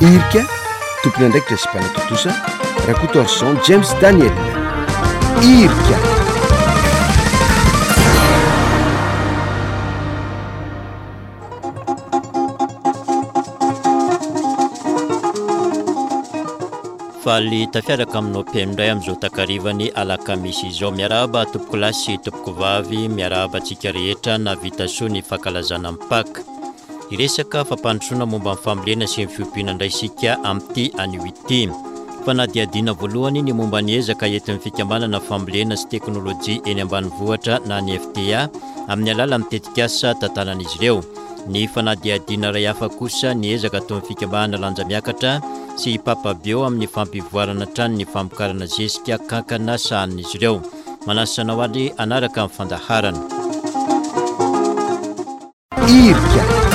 Irika, tompon'andraikitra sy mpanatontosa, Rakotoarison James Daniel. Irika. Faly tafiaraka aminao mpihaino indray amin'izao takarivan'ny alakamisy izao. Miarahaba tompokolahy sy tompokovavy, miarahaba antsika rehetra nahavita soa ny fankalazana ny Paka. Hiresaka fampandrosoana momba ny fambolena sy ny fiompiana indray isika amin'ity anio ity. Fanadihadiana voalohany ny momba ny ezaka entin'ny fikambanana fambolena sy teknolojia eny ambanivohitra na ny FTA amin'ny alalan'ny tetikasa tantanan'izy ireo. Ny fanadihadiana iray hafa kosa ny ezaka ataon'ny fikambanana Lanja Miakatra sy i Papa Bio amin'ny fampivoarana hatrany ny famokarana zezika kankana sahanin'izy ireo. Manasa anao ary hanaraka ny fandaharana. Irika.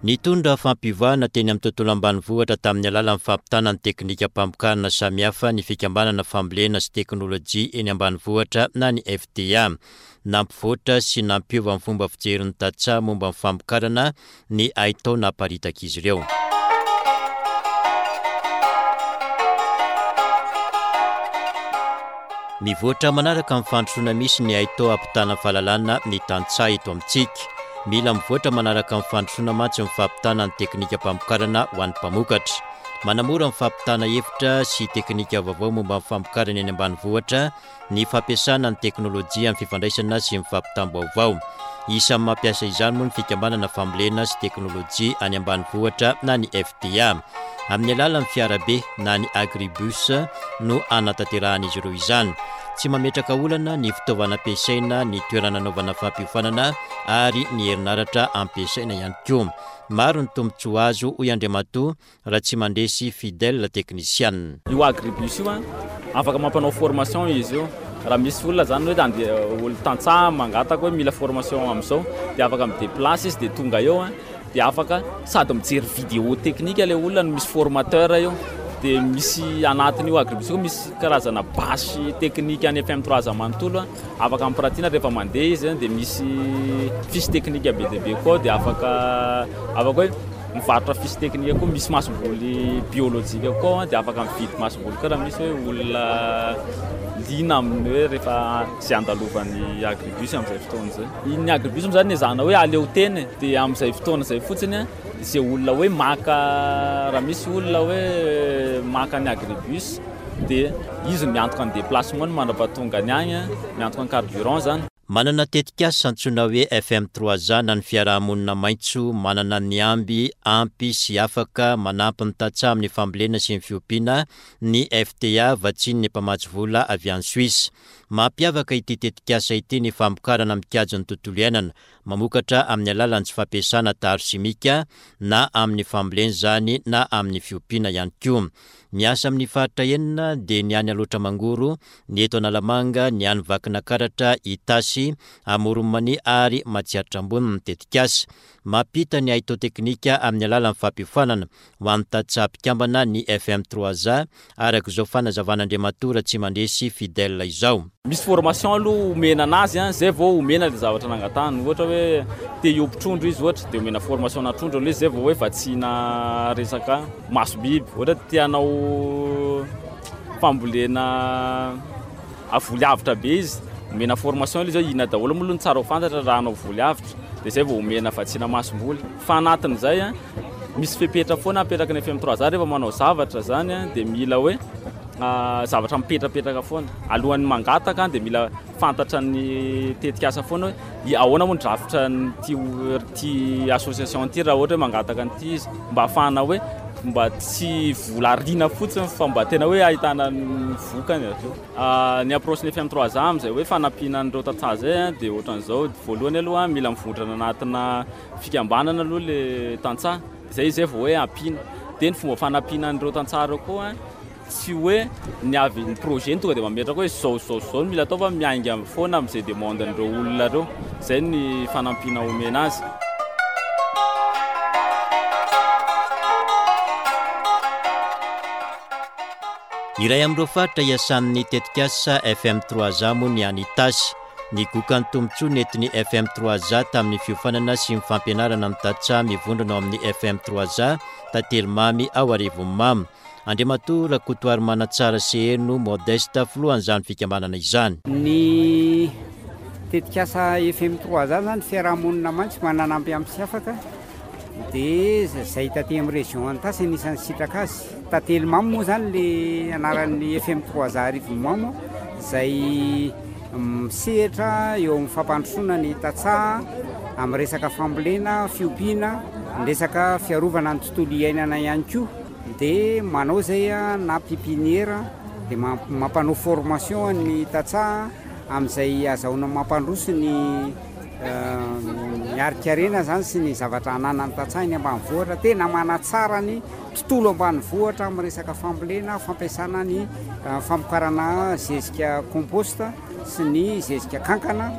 Nitondra fampivahana teny amin'ny tontolo ambanivohitra tamin'ny alalan'ny fampitana ny teknikam-pamokarana samihafa ny fikambanana fambolena sy teknolojia eny ambanivohitra na ny FDA. Nampivoatra sy nampiova ny fomba fijerin'ny tantsaha momba ny famokarana ny haitao naparitak'izy ireo. Mivoatra manaraka ny fandrosoana misy ny haitao hampitana fahalalana ny tantsaha eto amintsika. Mila mivoatra manaraka ny fandrosoana mantsy ny fampitana ny teknikam-pamokarana ho an'ny mpamokatra. Manamora ny fampitana hevitra sy teknika vaovao momba ny famokarana eny ambanivohitra ny fampiasana ny teknolojia amin'ny fifandraisana sy ny fampitam-baovao. Isan'ny mampiasa izany moa ny fikambanana fambolena sy teknolojia any ambanivohitra na ny FDA. Amin'ny alalan'ny fiarabe na ny agribus no anatanterahan'izy ireo izany. Tsy mametraka olana ny fitaovana ampiasaina, ny toerana anaovana fampiofanana ary ny herinaratra ampiasaina ihany koa. Maro ny tombontsoa azo, hoy Andriamatoa Ratsimandresy Fidèle, teknisianina. Io agribus io an, afaka mampanao formation izy io. Raha misy olona zany hoe andeha olo tantsaha mangataka hoe mila formation amin'izao dia afaka mi-déplace izy dia tonga eo an, dia afaka sady mijery vidéo technique ilay olona no misy formateur eo. Dia misy anatin'io agribus io misy karazana bâche technique any FM 3 manontolo an, afaka ampirantiana rehefa mandeha izy an, dia misy fiche technique be dia be koa ao dia afaka afaka hoe Mivarotra fiche technique koa, misy masomboly biolojika koa ao dia afaka mividy masomboly koa raha misy hoe olona liana amin'ny hoe rehefa izay andalovan'ny agribus amin'izay fotoana izay. Ny agribus moa izany ezahana hoe aleo tena e, dia amin'izay fotoana izay fotsiny izay olona hoe maka, raha misy olona hoe maka ny agribus dia izy no miantoka ny déplacement-ny mandra-pahatongany any, miantoka ny carburant izany. Manana tetikasa antsoina hoe FM trois A na ny fiaraha-monina maitso manana ny amby ampy sy afaka manampy ny tantsaha amin'ny fambolena sy ny fiompiana ny FTA vatsian'ny mpamatsy vola avy any Suisse. Mampiavaka ity tetikasa ity ny famokarana mikajy ny tontolo iainana, mamokatra amin'ny alalan'ny tsy fampiasana taharo simika na amin'ny fambolena izany na amin'ny fiompiana ihany koa. Miasa amin'ny faritra enina dia ny any Alaotra Mangoro, ny eto Analamanga, ny any Vakinakaratra, Itasy, Amoron'i Mania ary Matsiatra Ambony ny tetikasa. Mampita ny haitao teknika amin'ny alalan'ny fampiofanana ho an'ny tantsaha mpikambana ny FM trois A, araka izao fanazavan'Andriamatoa Ratsimandresy Fidèle izao. Misy formation aloha omena anazy an, zay vao omena le zavatra nangatahany, ohatra hoe te hiompy trondro izy ohatra de omena formation ana trondro aloha izy zay vao hoe vatsiana resaka maso biby, ohatra hoe te hanao fambolena voly avotra be izy, omena formation aloha izy hoe inona daholo moa aloha no tsara ho fantatra raha hanao voly avotra, de zay vao omena vatsiana masomboly, fa anatin'izay an misy fepetra foana apetraky ny FM trois A rehefa manao zavatra zany an de mila hoe zavatra mipetrapetraka foana. Alohan'ny mangataka dia mila fantatra ny tetikasa foana hoe ahoana moa ny drafitra an'ity ity association ity raha ohatra hoe mangataka an'ity izy mba ahafahana hoe mba tsy vola ariana fotsiny fa mba tena hoe ahitana ny vokany avy eo. Ny approche ny FM trois A amin'izay hoe fanampiana an'ireo tantsaha izay dia ohatran'izao, voalohany aloha mila mivondrona anatina fikambanana aloha ilay tantsaha, izay izay vao hoe ampiana. Dia ny fomba fanampiana an'ireo tantsaha ireo koa Tsy hoe ny avy ny projet no tonga dia mametraka hoe izao izao izao no mila atao fa miainga foana amin'izay demande-n'ireo olona ireo. Izay ny fanampiana omena azy. Iray amin'ireo faritra iasan'ny tetikasa FM trois A moa ny any Itasy. Nigoka ny tombontsoa nentin'ny FM Trois A tamin'ny fiofanana sy ny fampianarana ny tantsaha mivondrona ao amin'ny FM Trois A Tantely Mamy ao Arivonimamo. Andriamatoa Rakotoarimanatsara Seheno Modeste, filohan'izany fikambanana izany. Ny tetikasa FM Trois A izany fiarahamonina mantsy mananampy ampy sy afaka dia izay taty amin'ny région Antasy anisan'ny sitraka azy. Tantely Mamy moa izany le anaran'ny FM Trois A Arivonimamo izay Misehatra eo amin'ny fampandrosoana ny tantsaha amin'ny resaka fambolena, fiompiana, ny resaka fiarovana ny tontolo iainana ihany koa. Dia manao izay na pépinière dia mampanao formation ny tantsaha amin'izay azahoana mampandroso ny ny harin-karena izany sy ny zavatra ananan'ny tantsaha eny ambanivohitra. Tena manatsara ny tontolo ambanivohitra amin'ny resaka fambolena, fampiasana ny famokarana zezika compost sy ny zezika kankana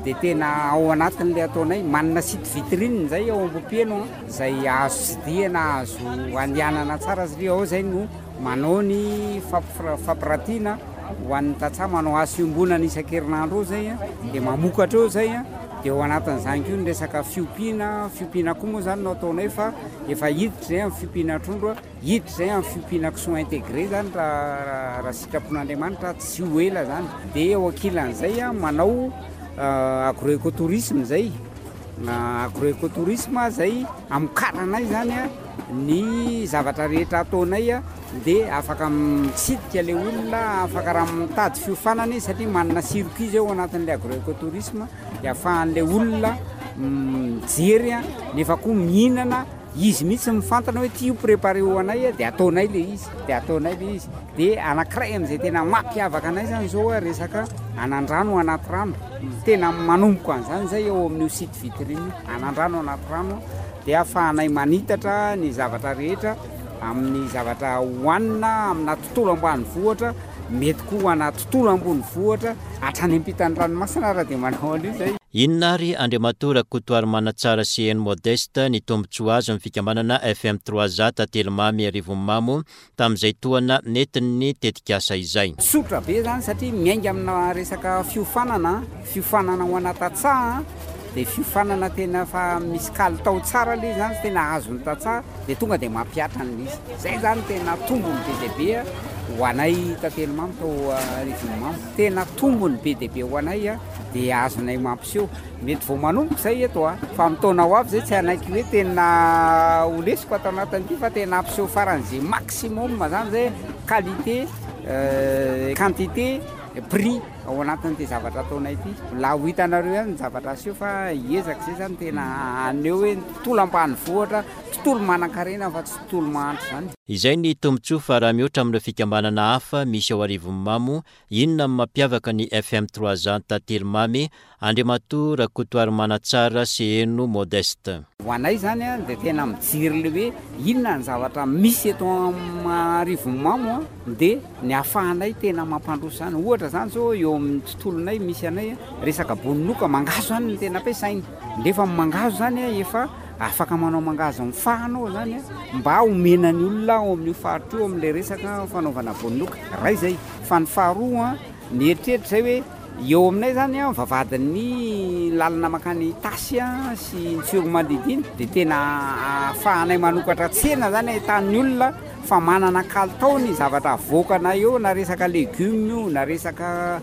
dia tena ao anatin'ilay ataonay. Manana site vitrine izay ao Ambohipeno izay azo tsidihana, azo andehanana tsara satria ao izay no manao ny fampiratiana ho an'ny tantsaha, manao asa iombonana isan-kerinandro ao izay dia mamokatra eo izay. Dia ao anatin'izany koa ny resaka fiompiana, fiompiana akoho moa izany no ataonay fa efa hiditra izay amin'ny fiompiana trondro, hiditra izay amin'ny fiompiana kisoa intégré izany raha raha sitrapon'Andriamanitra tsy ho ela izany. Dia eo ankilan'izay manao agroecotourisme izay, agroecotourisme izay amokaranay izany ny zavatra rehetra ataonay dia afaka mitsidika ilay olona, afaka raha mitady fiofanana izy satria manana circuit izay ao anatin'ilay agroecotourisme dia ahafahan'ilay olona mijery nefa koa mihinana, izy mihitsy mifantana hoe ity io préparé ho anay dia ataonay ilay izy, dia ataonay ilay izy. Dia anankiray amin'izay tena mampiavaka anay izany izao resaka anandrano anaty rano, tena manomboka an'izany izay ao amin'io site vitrine io, anandrano anaty rano dia ahafahanay manitatra ny zavatra rehetra amin'ny zavatra hohanina amina tontolo ambanivohitra, mety koa ho ana tontolo ambonivohitra, hatrany ampitan'ny ranomasina ary dia manao an'io izay. Inona ary Andriamatoa Rakotoarimanatsara Seheno Modeste ny tombontsoa azon'ny fikambanana FM Trois A Tatelimamy Arivonimamo tamin'izay tohana nentin'ny tetikasa izay? Tsotra be izany satria miainga amina resaka fiofanana, fiofanana ho ana tantsaha dia fiofanana tena efa misy kalitao tsara ilay izy izany, tena azon'ny tantsaha dia tonga dia mampihatra an'ilay izy. Izay izany tena tombony be dia be ho anay Tatelimamy tao Arivonimamo. Tena tombony be dia be ho anay dia azonay mampiseho. Mety vao manomboka izay eto a, fa amin'ny taona ho avy izay tsy hanaiky hoe tena ho lesiko ato anatin'ity fa tena hampiseho faran'izay maximum izany izay qualité, quantité, prix ao anatin'ity zavatra ataonay ity. Mbola ho hitanareo ihany ny zavatra aseho fa hiezaka izay izany tena haneho hoe ny tontolo ambanivohitra, tontolo manankarena fa tsy tontolo mahantra izany. Izay ny tombontsoa fa raha mihoatra amin'ireo fikambanana hafa misy ao Arivonimamo, inona no mampiavaka ny FM Trois Ans Tantely Mamy Andriamatoa Rakotoarimanatsara Seheno Modeste. Ho anay izany dia tena mijery ilay hoe inona ny zavatra misy eto Arivonimamo dia ny ahafahanay tena mampandroso izany. Ohatra izany izao eo amin'ny tontolonay misy anay, resaka bononoka, mangahazo izany no tena ampiasaina. Nefa ny mangahazo izany efa afaka manao mangahazo mifahana ao izany mba homena ny olona ao amin'io faritra io amin'ilay resaka fanaovana bononoka. Iray izay. Fa ny faharoa, mieritreritra izay hoe Eo aminay izany an, vavahadin'ny lalana mankany Itasy sy ny Tsiroamandidy iny dia tena ahafahanay manokatra tsena izany ahitan'ny olona fa manana kalitao ny zavatra avoakanay eo na resaka legioma io na resaka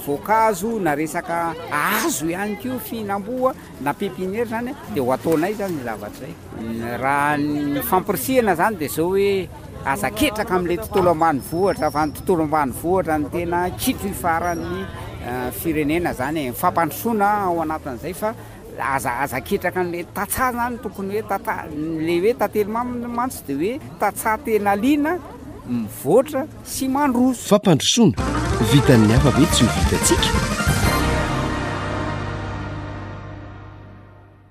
voankazo na resaka hazo ihany koa fihinam-boa na pepiniere izany dia ho ataonay izany izay zavatra izay. Raha ny fampirisihana izany dia izao hoe Aza ketraka amin'ilay tontolo ambanivohitra fa ny tontolo ambanivohitra no tena kitro ifaran'ny firenena zany e, fampandrosoana ao anatin'izay fa aza aza ketraka an'ilay tantsaha zany tokony hoe tantsaha, le hoe tantely mamy mantsy de hoe tantsaha tena liana mivoatra sy mandroso. Fampandrosoana, vitan'ny hafa ve tsy ho vitantsika?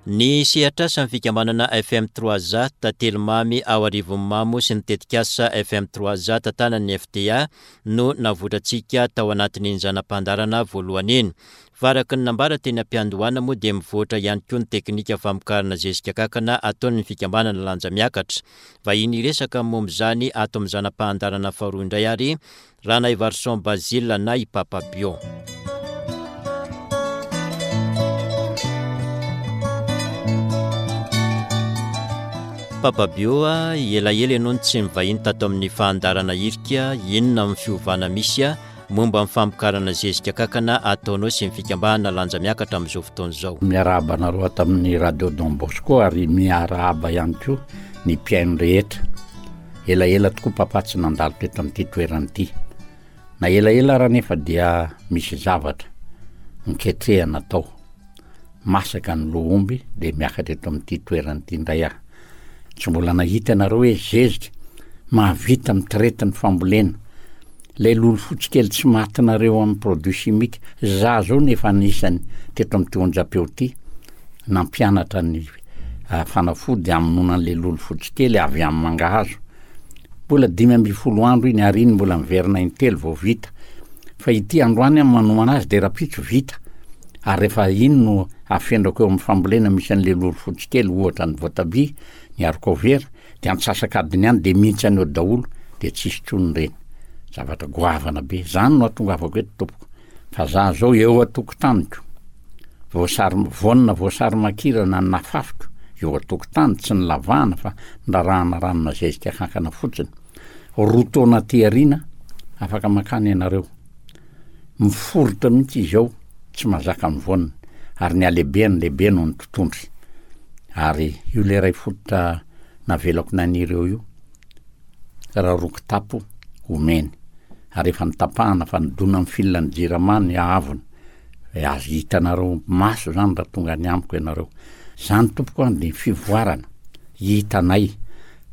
Ny sehatr'asan'ny fikambanana FM Trois A, Tantely Mamy ao Arivonimamo sy ny tetikasa FM Trois A tantanan'ny FTA no navotrantsika tao anatin'iny zana-pandaharana voalohany iny. Fa araka ny nambara teny am-piandohana moa dia mivoatra ihany koa ny teknika famokarana zezika kankana ataon'ny fikambanana Lanja Miakatra. Vahiny hiresaka momba izany ato amin'ny zana-pahandarana faharoa indray ary Ranaivarison Basile na i Papa Bio. Papa Bio a, elaela ianao no tsy nivahiny tato amin'ny fandaharana Irika, inona amin'ny fiovana misy momba ny famokarana zezika kankana ataonao sy ny fikambanana Lanja Miakatra amin'izao fotoana izao? Miarahaba anareo ato amin'ny Radio Don Bosco ary miarahaba ihany koa ny mpihaino rehetra. Elaela tokoa Papa tsy nandalo teto amin'ity toerana ity. Na elaela ara anefa dia misy zavatra niketrehana tao. Masaka ny loha omby dia miakatra eto amin'ity toerana ity indray aho. Tsy mbola nahita ianareo hoe zezika mahavita mitraite ny fambolena. Ilay lolo fotsy kely tsy matinareo amin'ny produit chimique. Za zao no efa anisany teto amin'ity onjam-peo ity nampianatra ny fanafody hamonoana an'ilay lolo fotsy kely avy amin'ny mangahazo. Mbola 15 andro iny ary iny mbola miverina intelo vao vita. Fa ity androany aho manomana azy dia rahampitso vita. Ary rehefa iny no afendrako eo amin'ny fambolena misy an'ilay lolo fotsy kely ohatra ny voatabia, ny haricot vert, dia antsasak'adiny any dia mihintsana eo daholo dia tsisy intsony ireny. Zavatra goavana be. Zany no ahatongavako eto tompoko. Fa za zao eo an-tokotaniko, voasary, voanina voasary makirana nafafiko eo an-tokotany, tsy nilavahana fa nirarahana ranona zezika kankana fotsiny. Roa taona aty aoriana afaka mankany ianareo. Miforitra mihitsy izy ao, tsy mahazaka ny voaniny, ary ny halehibeny lehibe noho ny totohondry. Ary io le iray fototra navelako naniry eo io, raha roa kitapo omeny. Ary efa notapahana fa nidona amin'ny fil ny jirama ny haavony. Azo hitanareo maso zany raha tonga any amiko ianareo. Zany tompoko an dia fivoarana hitanay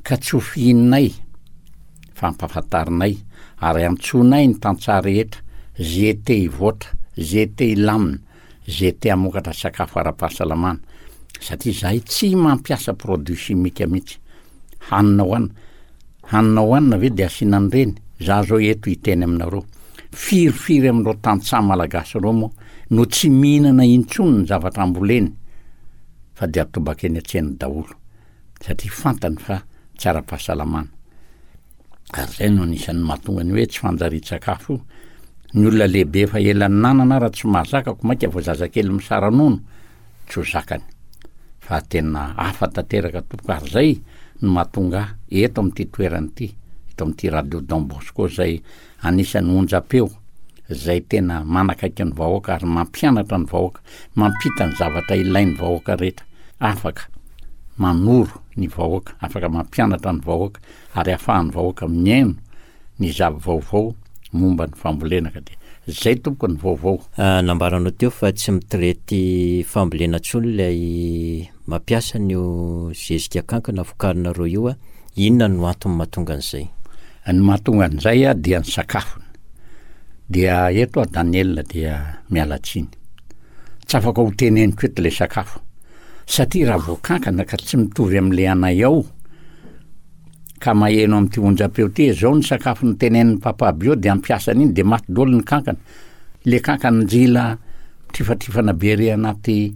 ka tsy ho fihininay fa ampahafantarinay ary antsoinay ny tantsaha rehetra ze te hivoatra, ze te hilamina, ze te hamokatra sakafo ara-pahasalamana satria zahay tsy mampiasa produit chimique mihitsy. Hanina hohanina, hanina hohanina ve dia asiana an'ireny? Za zao eto hiteny aminareo, firifiry amin'ireo tantsaha malagasy ireo moa no tsy mihinana intsony ny zavatra amboleny fa dia atobaka eny an-tsena daholo. satria fantany fa tsy ara-pahasalamana. Ary izay no anisan'ny mahatonga ny hoe tsy fanjarian-tsakafo io. Ny olona lehibe efa ela ninanana ara tsy mahazaka ko mainka vao zazakely misara-nono tsy ho zakany. Fa tena hafa tanteraka tompoko ary izay no mahatonga ahy eto amin'ity toerana ity, eto amin'ity radio Don Bosco izay Anisan'ny onjam-peo izay tena manakaiky ny vahoaka ary mampianatra ny vahoaka, mampita ny zavatra ilain'ny vahoaka rehetra, afaka manoro ny vahoaka, afaka mampianatra ny vahoaka ary ahafahan'ny vahoaka mihaino ny zava-vaovao momba ny fambolena ka dia izay tompoko ny vaovao. Nambaranao teo fa tsy mitraite fambolena intsony ilay mampiasa an'io zezika kankana vokarinareo io, inona no antony mahatonga an'izay? Ny mahatonga an'izay dia ny sakafony. Dia eto aho Daniel dia miala tsiny. Tsy afaka ho teneniko eto ilay sakafo. Satria raha vao kankana ka tsy mitovy amin'ilay anay ao, ka maheno amin'ity onjam-peo ity, izao ny sakafo notenenin'i Papa Bio dia hampiasa an'iny dia maty daholo ny kankana. Ilay kankana njila mitrifatrifana be ery anaty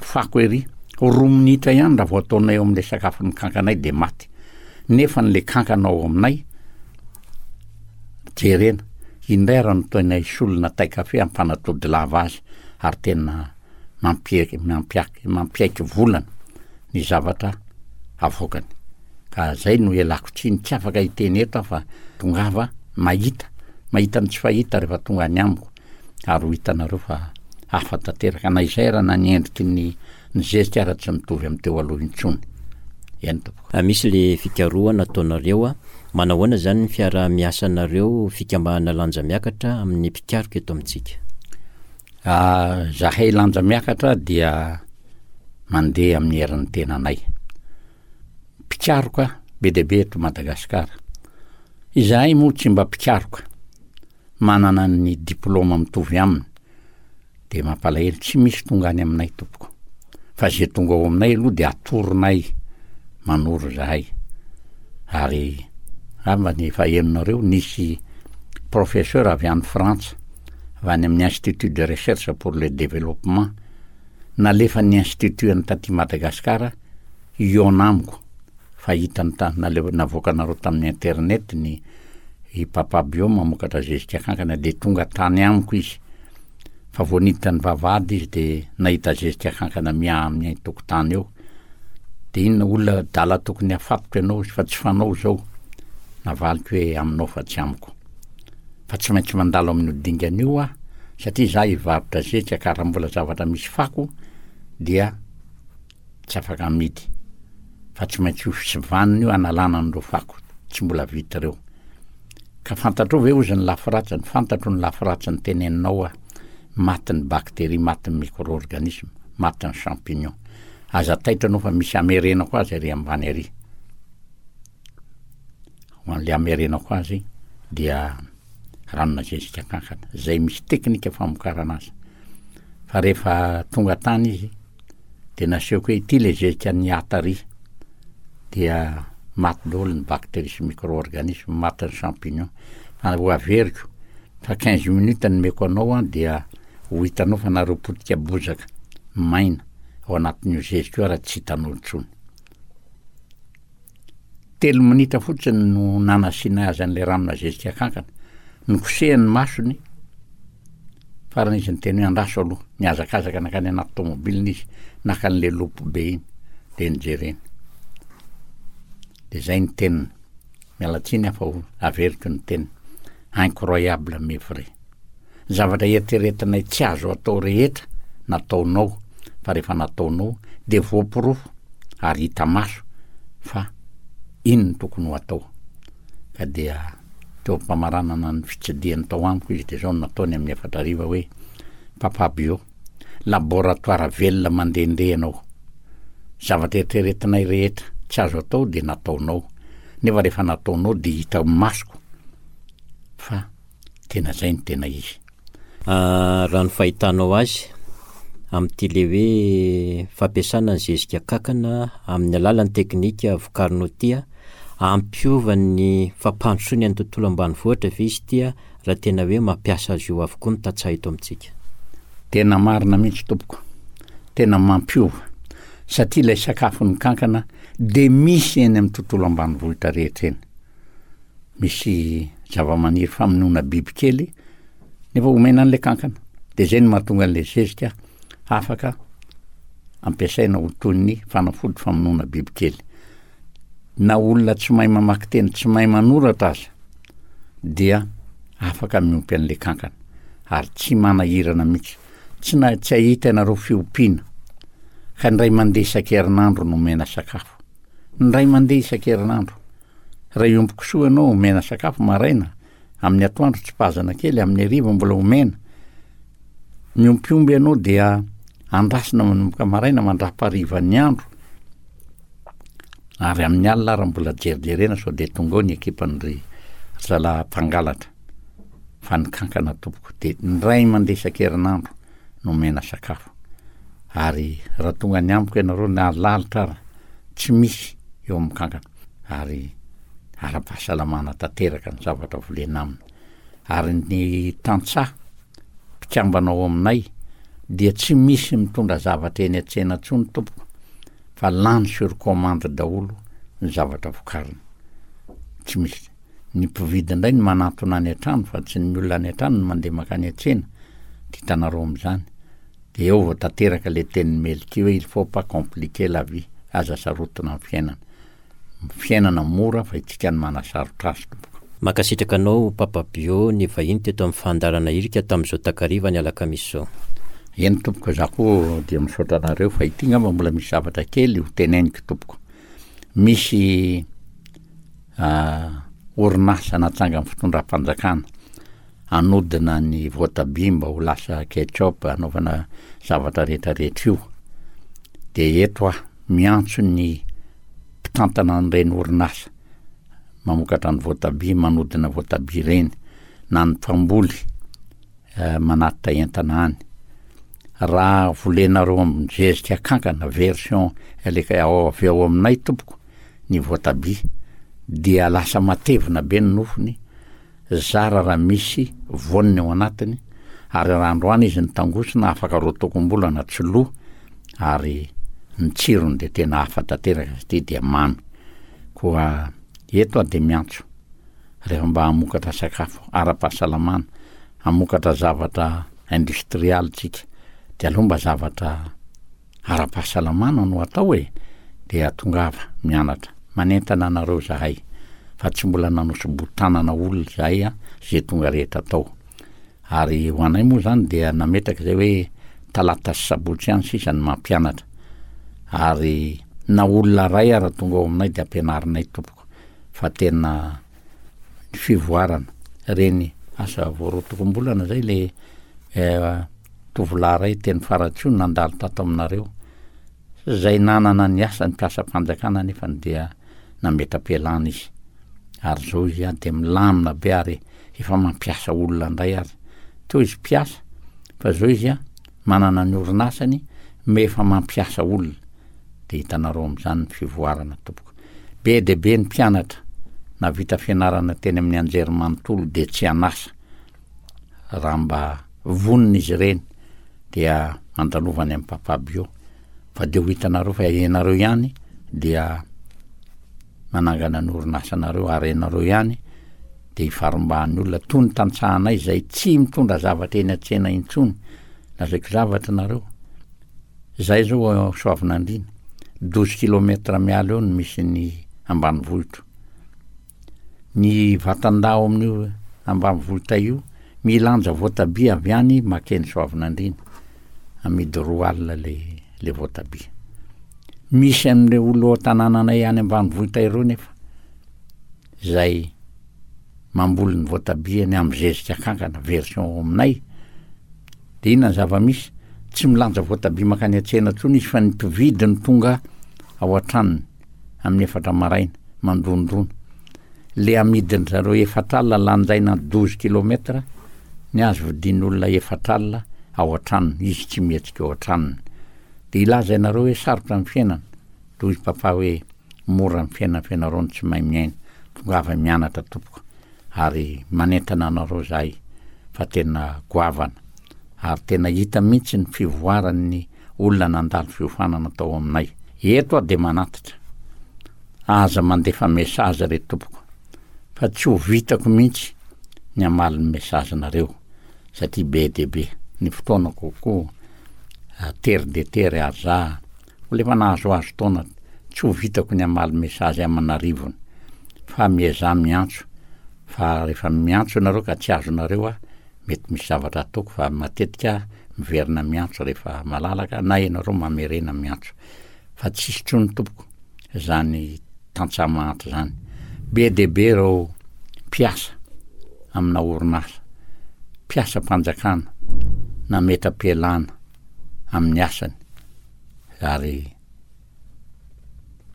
fako ery. Roa minitra ihany raha vao ataonay eo amin'ilay sakafon'ny kankanay dia maty. Nefa ny le kankana ao aminay jerena, indray ary no tena solona tay kafe ampanatody lava azy ary tena mampiaiky mampiaiky mampiaiky volana ny zavatra avoakany. Ka zay no ialako tsiny, tsy afaka hiteny eto aho fa tongava mahita, mahita ny tsy fahita rehefa tonga any amiko ary ho hitanareo fa hafa tanteraka na izay ara na ny endriky ny ny zezika ara tsy mitovy amin'ny teo aloha intsony. Eny tompoko. Misy le fikarohana ataonareo a, manahoana zany ny fiaraha-miasanareo fikambanana Lanja Miakatra amin'ny mpikaroka eto amintsika? Zahay Lanja Miakatra dia mandeha amin'ny herin'ny tenanay. Mpikaroka be dia be eto Madagasikara. Izahay moa tsy mba mpikaroka manana ny diplaoma mitovy aminy. Dia mampalahelo tsy misy tonga any aminay tompoko. Fa ze tonga ao aminay aloha dia atoronay manoro zahay. Ary angambany efa henonareo nisy professeur avy any Frantsa, avy any amin'ny Institut de recherche pour le développement, nalefan'ny institut any taty Madagasikara hihaona amiko fa hitany ta- nale- navoakanareo tamin'ny internet ny i Papa Bio mamokatra zezika kankana dia tonga tany amiko izy fa vao niditra ny vavahady izy dia nahita zezika kankana miaha amin'ny tokotany eo. Dia inona olona adala tokony hafatotra ianao fa tsy fanao izao? Navaliko hoe aminao fa tsy amiko. Fa tsy maintsy mandalo amin'io dingana io aho satria izaho hivarotra zezika ka raha mbola zavatra misy fako dia tsy afaka amidy. Fa tsy maintsy ho sivanina io hanalana an'ireo fako tsy mbola vita ireo. Ka fantatrao ve ozy ny lafy ratsiny? Fantatro ny lafy ratsiny teneninao aho. Maty ny bactérie, maty ny micro-organisme, maty ny champignon. Aza taitra anao fa misy hamerenako azy ary ambany ary. Ho an'le hamerenako azy dia ranona zezika kankana. Zay misy teknika famokarana azy. Fa rehefa tonga tany izy dia nasehoko hoe ity le zezika niata ary dia maty daholo ny bactérie sy micro-organisme, maty ny champignon. Fa ho averiko fa 15 minutes nomeko anao an dia ho hitanao fa nareo potika bozaka maina ao anatin'io zezika io ary tsy hitanao intsony. Telo minitra fotsiny no nanasiana azy an'ilay ranona zezika kankana. Nokosehiny ny masony, farany izy niteny hoe andraso aloha. Nihazakazaka nankany anaty tomobilina izy, naka an'ilay loupe be iny, dia nojereny. Dia izay ny teniny. Miala tsiny aho fa ho averiko ny teniny. Incroyable mais vrai. Ny zavatra eritreretinay tsy azo atao rehetra nataonao fa rehefa nataonao dia voaporofo ary hita maso fa iny no tokony ho atao. Ka dia teo am-pamaranana ny fitsidihany tao amiko izy dia izao no nataony amin'ny efatra hariva hoe, Papa Bio, laboratoire velona mandehandeha ianao. Zavatra eritreretinay rehetra tsy azo atao dia nataonao. Nefa rehefa nataonao dia hita masoko fa Tena zay no tena izy. Raha ny fahitanao azy, amin'ity le hoe fampiasana ny zezika kankana amin'ny alalan'ny teknika vokarinao ity, hampiova ny fampandrosoana ny tontolo ambanivohitra ve izy ity raha tena hoe mampiasa azy io avokoa ny tantsaha eto amintsika? Tena marina mihitsy tompoko, tena mampiova satria ilay sakafon'ny kankana dia misy eny amin'ny tontolo ambanivohitra rehetra eny. misy zavamaniry famonoana bibikely nefa omena an'ilay kankana de zay no mahatonga an'ilay zezika afaka ampiasaina ho toy ny fanafody famonoana bibikely na olona tsy mahay mamaky teny tsy mahay manoratra aza dia afaka miompy an'ilay kankana ary tsy manahirana mihitsy tsy na tsy ahita ianareo fiompiana ka indray mandeha isan-kerinandro no omena sakafo indray mandeha isan-kerinandro Raha hiompy kisoa ianao, omena sakafo maraina, amin'ny atoandro tsipazana kely, amin'ny hariva mbola omena. Miompy omby ianao dia andrasina manomboka maraina mandrapaharivan'ny andro. Ary amin'ny alina ary mbola jerijerena sao dia tonga ao ny ekipan-dry zalahy mpangalatra. Fa ny kankana tompoko dia indray mandeha isan-kerinandro no omena sakafo. Ary raha tonga any amiko ianareo na lalitra ara tsy misy eo amin'ny kankana. ary ara-pahasalamana tanteraka ny zavatra volena aminy. Ary ny tantsaha mpikambana ao aminay dia tsy misy mitondra zavatra eny an-tsena intsony tompoko fa lany sur commande daholo ny zavatra vokarina. Tsy misy. Ny mpividy indray no manantona any an-trano fa tsy ny olona any an-trano no mandeha mankany an-tsena. Dia hitanareo amin'izany. Dia eo vao tanteraka ilay tenin'i Melky hoe il faut pas compliquer la vie, aza sarotina ny fiainana. Fiainana mora fa itsika no manasarotra azy tompoko. Mankasitraka anao Papa Bio nivahiny teto amin'ny fandaharana Irika tamin'izao takariva ny alakamisy izao. Eny tompoko, za koa dia misaotra anareo fa ity ngamba mbola misy zavatra kely ho teneniko tompoko. Misy orinasa natsangan'ny fitondram-panjakana hanodina ny voatabia mba ho lasa ketchup hanaovana zavatra rehetra rehetra io de eto aho miantso ny mpitantana an'ireny orinasa mamokatra ny voatabia manodina voatabia ireny na ny mpamboly eh, manatitra entana any raha volenareo amin'ny zezika kankana version aleka ao avy ao aminay tompoko ny voatabia dia lasa matevina be ny nofony Zara raha misy voaniny ao anatiny, ary raha androany izy nitangosina afaka roatokom-bolana tsy lo, ary ny tsirony dia tena hafa tanteraka satria dia mamy. Koa eto aho dia miantso, rehefa mba hamokatra sakafo ara-pahasalamana, hamokatra zavatra industrialy tsika, dia aleo mba zavatra ara-pahasalamana no atao e! Dia tongava mianatra. Manentana anareo zahay fa tsy mbola nanosi-botanana olona izahay an, ze tonga rehetra tao. Ary ho anay moa zany dia nametraka izay hoe talata sy sabotsy ihany sisa ny mampianatra. Ary na olona ray ara tonga ao aminay dia ampianarinay tompoko fa tena ny fivoarana reny asa vao roatokombolana zay le tovolahy ray teny Faratsiho nandalo tato aminareo Izay nanana ny asany mpiasam-panjakana anefany dia nametra-pialana izy. Ary izao izy dia milamina be ary efa mampiasa olona indray ary. Teo izy mpiasa fa izao izy manana ny orinasany me efa mampiasa olona. Dia hitanareo amin'izany ny fivoarana tompoko. Be dia be ny mpianatra nahavita fianarana teny amin'ny anjerimanontolo dia tsy an'asa. Raha mba vonona izy ireny dia andalovany amin'i Papa Bio fa dia ho hitanareo fa ianareo ihany dia manangana ny orinasanareo ary ianareo ihany dia hifarimbahan'ny olona toy ny tantsahanay izay tsy mitondra zavatra eny an-tsena intsony. Lazaiko zavatra nareo, izahay zao ao Soavinandriana, douze kilomètre miala eo no misy ny ambanivohitro. Ny vatan-dahy ao amin'io ambanivohitra io milanja voatabia avy any makeny Soavinandriana, amidy 20 le le voatabia. Misy amin'ireo olona ao an-tanànanay any ambanivohitra ireo nefa izay mamboly ny voatabiany amin'ny zezika kankana, version ao aminay, de inona ny zava-misy? Tsy milanja voatabia mankany an-tsena intsony izy fa ny mpividy no tonga ao an-tranony. amin'ny efatra maraina, mandondona. Le amidin-dry zareo efatr'alina lanjaina douze kilomètre, ny azy vidian'olona efatr'alina ao an-tranony, izy tsy mihetsika ao an-tranony. De hilaza ianareo hoe sarotra ny fiainana, de hoy papa hoe mora ny fiainana fa ianareo no tsy mahay miaina, tongava mianatra tompoko, ary manentana anareo zahay fa tena goavana, ary tena hita mihitsy ny fivoaran'ny olona nandalo fiofanana tao aminay. Eto aho dia manatitra, aza mandefa message re tompoko fa tsy ho vitako mihitsy ny hamaly ny message-nareo satria be dia be ny fotoanako koa tery dia tery ary za mbola efa nahazoazo taona tsy ho vitako ny hamaly message aman'arivony fa miezaha miantso fa rehefa miantso ianareo ka tsy azonareo aho Mety misy zavatra ataoko fa matetika aho miverina miantso rehefa malalaka na ianareo mamerena miantso. Fa tsisy intsony tompoko zany tantsaha mahantra zany. Be dia be ireo mpiasa amina orinasa, mpiasam-panjakana nametra-pialana amin'ny asany ary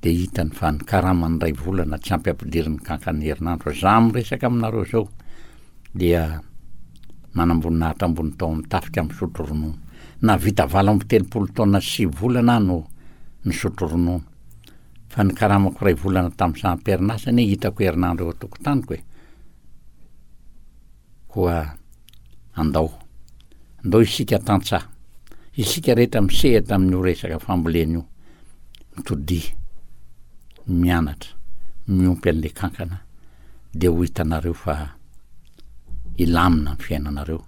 dia hitany fa ny karamany iray volana tsy ampy ampidiriny kankana herinandro. Za miresaka aminareo zao dia manamboninahitra ambony tao amin'ny tafika misotro ronono. Nahavita 38 taona sy sivy volana aho no nisotro ronono. Fa ny karamako iray volana tamin'ny saha am-perinasa anie hitako herinandro eo an-tokotaniko e. Koa andao. Andao isika tantsaha, isika rehetra misehatra amin'io resaka fambolena io, mitodiha, mianatra, miompy an'ilay kankana, dia ho hitanareo fa hilamina ny fiainanareo,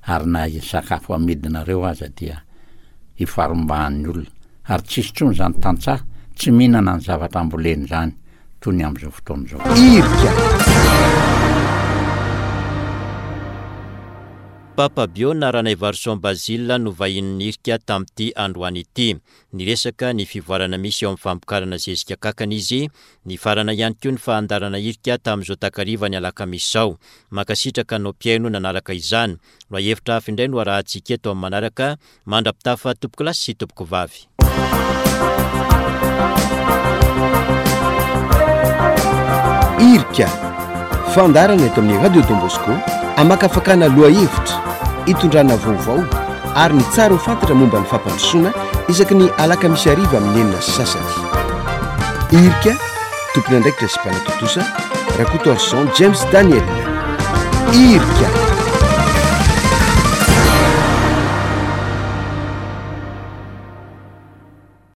ary na sakafo amidinareo aza dia hifarimbahan'ny olona, ary tsisy intsony izany tantsaha tsy mihinana ny zavatra amboleny izany. toy ny amin'izao fotoana izao. Irika. Papa Bio na Ranaivarison Basile no vahinin'ny Irika tamin'ity androany ity. Niresaka ny fivoarana misy eo amin'ny famokarana zezika kankana izy. Nifarana ihany koa ny fahandarana Irika tamin'izao takariva ny alakamisy izao. Mankasitraka anao mpihaino nanaraka izany. Lohahevitra hafa indray no arahantsika eto amin'ny manaraka. Mandra-pitafa tompokolahy sy tompokovavy. Irika, fandaharana eto amin'ny Radio Don Bosco hamakafakana lohahevitra, hitondrana vaovao ary ny tsara ho fantatra momba ny fampandrosoana isaky ny alakamisy hariva amin'ny 6:30. Irika, tompon'andraikitra sy mpanatontosa, Rakotoarison James Daniel. Irika.